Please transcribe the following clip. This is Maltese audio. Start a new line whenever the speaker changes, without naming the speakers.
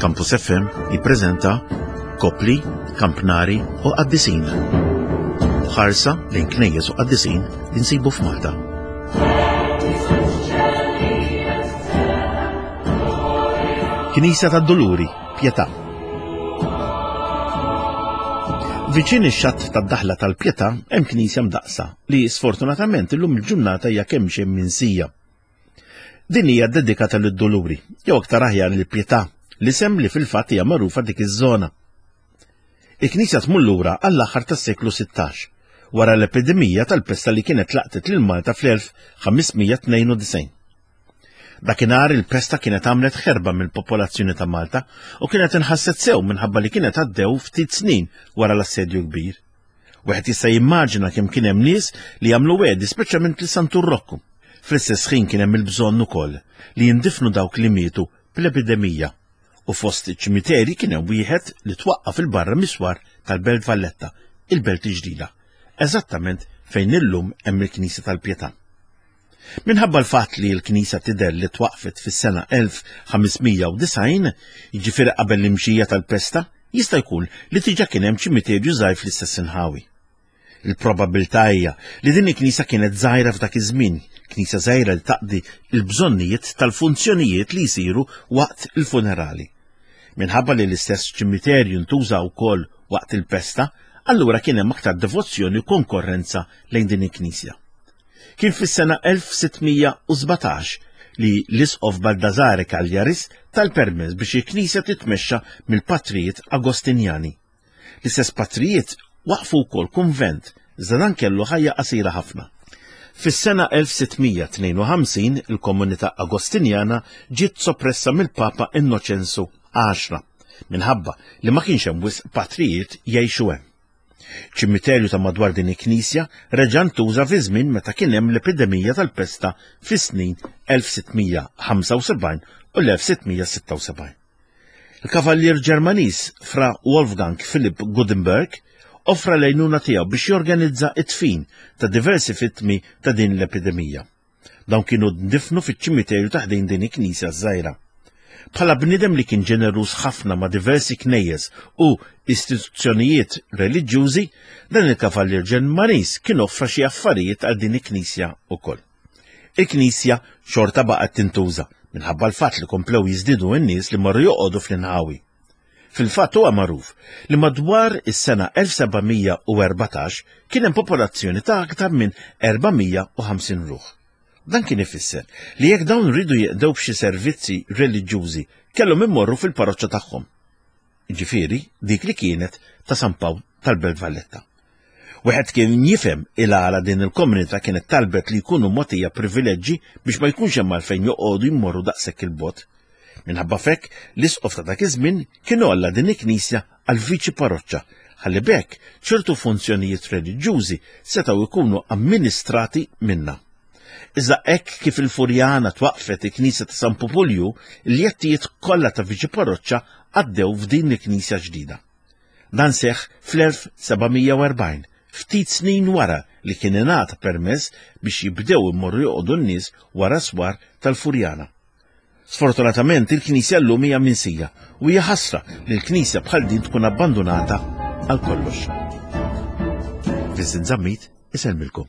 Campus FM jippreżenta Kopli, Kampnari u Qaddisin. Ħarsa lejn knejjes u qaddisin li nsibu f'Malta. Knisja tad-Duluri, Pietà. Viċin ix-xatt tad-daħla tal-Pietà hemm knisja mdaqqsa li sfortunatament illum il-ġurnata hija kemm xejn minsija. Din hija ddedikata lid-Duluri, jew aktar aħjar lill-Pietà, l-isem li fil-fatt hija magħrufa dik iż-żona. Il-knisja tmur lura għall-aħħar tas-seklu 16, wara l-epidemija tal-pesta li kienet laqtet lil Malta fl-1592. Dakinhar il-pesta kienet għamlet ħerba mill-popolazzjoni ta' Malta u kienet inħasset sew minħabba li kienet għaddew ftit snin wara l-Assedju Kbir. Wieħed jista' jimmaġina kemm kien hemm nies li għamlu wegħdi speċjalment lil Santu Rokku. Fl-istess ħin kien hemm il-bżonn ukoll li jindifnu dawk li mietu bl-epidemija u fost iċ-ċimiteri kien hemm wieħed li twaqqaf il-barra miswar tal-Belt Valletta, il-Belt il-Ġdida, eżattament fejn illum hemm il-Knisja tal-Pietà. Minħabba l-fatt li l-knisja tidher li twaqqfet fis-sena 1590, jiġifieri qabel l-imxija tal-pesta, jista' jkun li diġà kien hemm ċimiterju żgħir fl-istess inħawi. Il-probabbiltà hija li din il-knisja kienet żgħira f'dak iż-żmien, knisja żgħira li taqdi l-bżonnijiet tal-funzjonijiet li jsiru waqt il-funerali. Minħabba li l-istess ċimiterju ntuża wkoll waqt il-pesta, allura kien hemm aktar devozzjoni u konkorrenza lejn din il-knisja. Kien fis-sena 1617 li l-Isqof Baldassare Cagliaris ta l-permess biex il-knisja titmexxa mill-patrijiet Agostinjani. L-istess patrijiet waqqfu wkoll kunvent, iżda dan kellu ħajja qasira ħafna. Fis-sena 1652 il-komunità Agostinjana ġiet soppressa mill-Papa Innoċenzu Għaxra minħabba li ma kienx hemm wisq patrijiet jgħixu hemm. Ċimiterju ta' madwar din il-knisja reġa' ntuża fi żmien meta kien hemm l-epidemija tal-pesta fis-snin 1675 u l-1676. Il-kavallier Ġermaniż Fra Wolfgang Philipp Gudenberg offra l-għajnuna tiegħu biex jorganizza t-dfin ta' diversi vittmi ta' din l-epidemija. Dawn kienu ndifnu fiċ-ċimiterju ta' ħdejn din il-knisja ż-żgħira. Bħala bniedem li kien ġeneruż ħafna ma' diversi knejjes u istituzzjonijiet reliġjużi, dan il-kavallier Ġermaniż kien offra xi affarijiet għal din il-knisja wkoll. Il-knisja xorta baqgħet tintuża minħabba l-fatt li komplew jiżdiedu n-nies li marru joqogħdu fl-inħawi. Fil-fatt huwa magħruf li madwar is-sena 1714 kien hemm popolazzjoni ta' aktar minn 450 ruħ. Dan kien ifisser li jekk dawn riedu jeqdew b'xi servizzi reliġjużi kellhom immorru fil-parroċċa tagħhom. Jiġifieri dik li kienet ta' San Pawl tal-Belt Valletta. Wieħed kien jifhem il-għala din il-komunità kienet talbet li jkunu mogħtija privileġġi biex ma jkunx hemm għalfejn joqogħdu jmorru daqshekk il-bogħod. Minħabba f'hekk, l-isqof ta' dak iż-żmien kien għolla din il-knisja għal viċi parroċċa ħalli b'hekk ċertu funzjonijiet reliġjużi setgħu jkunu amministrati minnha. Iżda hekk kif il-Furjana twaqqfet il-knisja ta' San Pupulju, il-jettijiet kollha ta' viċi parroċċa għaddew f'din il-knisja ġdida. Dan seħħ fl-1740, ftit snin wara li kien ingħata permess biex jibdew imorru joqogħdu n-nies wara s-swar tal-Furjana. Sfortunatament il-knisja llum hija minsija u hija ħasra li l-knisja bħal din tkun abbandunata għal kollox. Vincent Zammit isellmilkom.